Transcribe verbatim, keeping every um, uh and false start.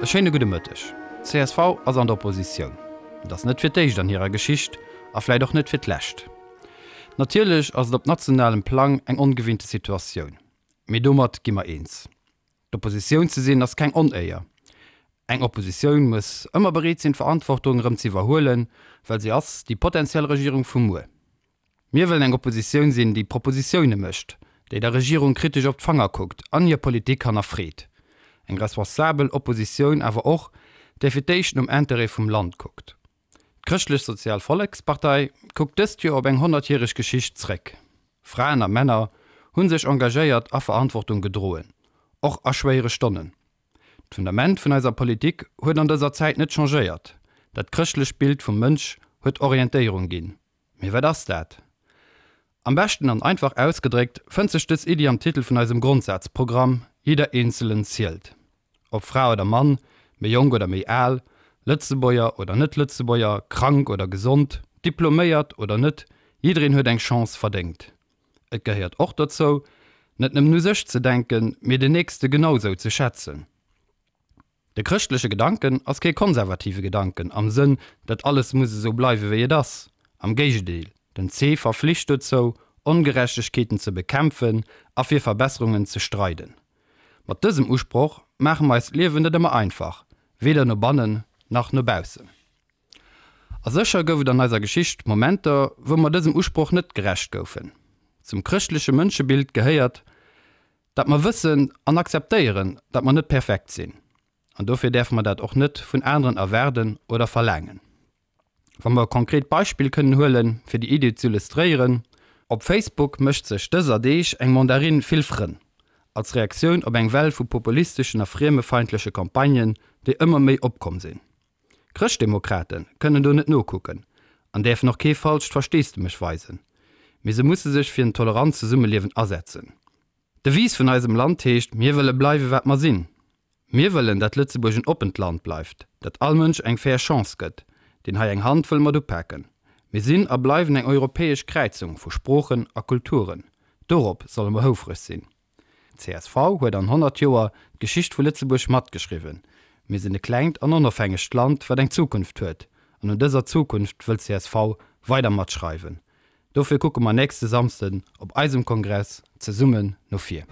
E schéine gudde Mëtteg. Csv ass an der Oppositioun. Et ass net fir d'éischt an hirer Geschicht a vläit och net fir d'lescht. Natierlech ass et op nationalem Plang eng ongewinnte Situatioun. Mee domat gi mer eens. D'Oppositioun ze sinn ass keng Onéier. Eng Oppositioun muss ëmmer bereet sinn d'Verantwortung erëm ze iwwerhuelen, well se ass déi potentiell Regierung vu muer. Mir wëllen eng Oppositioun sinn, déi Propositioune mécht, déi der Regierung kritesch op d'Fanger kuckt an hir Politik hannerfreet. Eng responsabel Oppositioun awer och, déi fir d'éischt nom Interêt vum Land kuckt. D'Chrëschtlech-Sozial Vollekspartei kuckt dëst Joer op eng honnertjäreg Geschicht zréck. Fraen a Männer hu sech engagéiert a Verantwortung gedroen, och a schwéiere Stonnen. D'Fundament vun eiser Politik huet an dëser Zäit net changéiert, dat chrëschtlecht Bild vum Mënsch huet Orientéierung ginn. Mee wat ass dat? Am beschten an einfach ausgedréckt fënnt sech dës Iddi am Titel vun eisem Grondsazprogramm, Jeder Einzelne zählt. Ob Fra oder Mann, méi jonk oder méi al, Lëtzebuerger oder Net-Lëtzebuerger, krank oder gesond, diploméiert oder net, jiddereen huet eng Chance verdéngt. Et gehéiert och dozou, net nëmmen u sech ze denken, mee den Nächste genau sou ze schätzen. De chrëschtleche Gedanken ass kee konservative Gedanken am Sënn, datt alles muss esou bleiwe wéi et ass. Am Géigendeel, den C verflicht dozou, Ongerechtegkeeten ze bekämpfen a fir Verbesserungen ze streiden. Mat dësem Usproch maache mer eis d'Liewen net ëmmer einfach, weder no bannen nach no baussen. A sécher gouf et an eiser Geschicht Momenter, wou mer dësem Usproch net gerecht goufen. Zum chrëschtleche Mënschebild gehéiert, datt mer wëssen an akzeptéieren, datt mer net perfekt sinn. An dofir däerfe mer dat och net vun aneren erwaarden oder verlaangen. Wa mer e konkret Beispill kënnen huelen, fir déi Iddi z'illustréieren, Op Facebook mécht sech dëser Deeg eng Mandarin vill Frënn, als Reaktioun op eng Well vu populisteschen a friemefeindleche Campagnen, déi ëmmer méi opkomm sinn. Chrëschtdemokrate kënnen do net nokucken an däerfen och kee falscht Versteesdemech weisen, mee se musse sech fir en tolerant Zesummeliewen asetzen. D'Devise vun eisem Land heescht Mir wëlle bleiwe wat mer sinn. Mir wëllen, dat Lëtzebuerg en oppent Land bleift, dat all Mënsch eng fair Chance gëtt, deen hei eng Hand wëll mat upaken. Mir sinn a bleiwen eng europäesch Kräizung vu Sproochen a Kulturen. Dorop solle mer houfreg sinn. Csv huet an honnert Joer d'Geschicht vu Lëtzebuerg matgeschriwwen. Mir sinn e klengt an onofhängegt Land, wat eng Zukunft huet. An un dëser Zukunft wëll csv weider matschreiwen. Dofir kucke mer nächste Samsden op eisem Kongress zesummen no vir.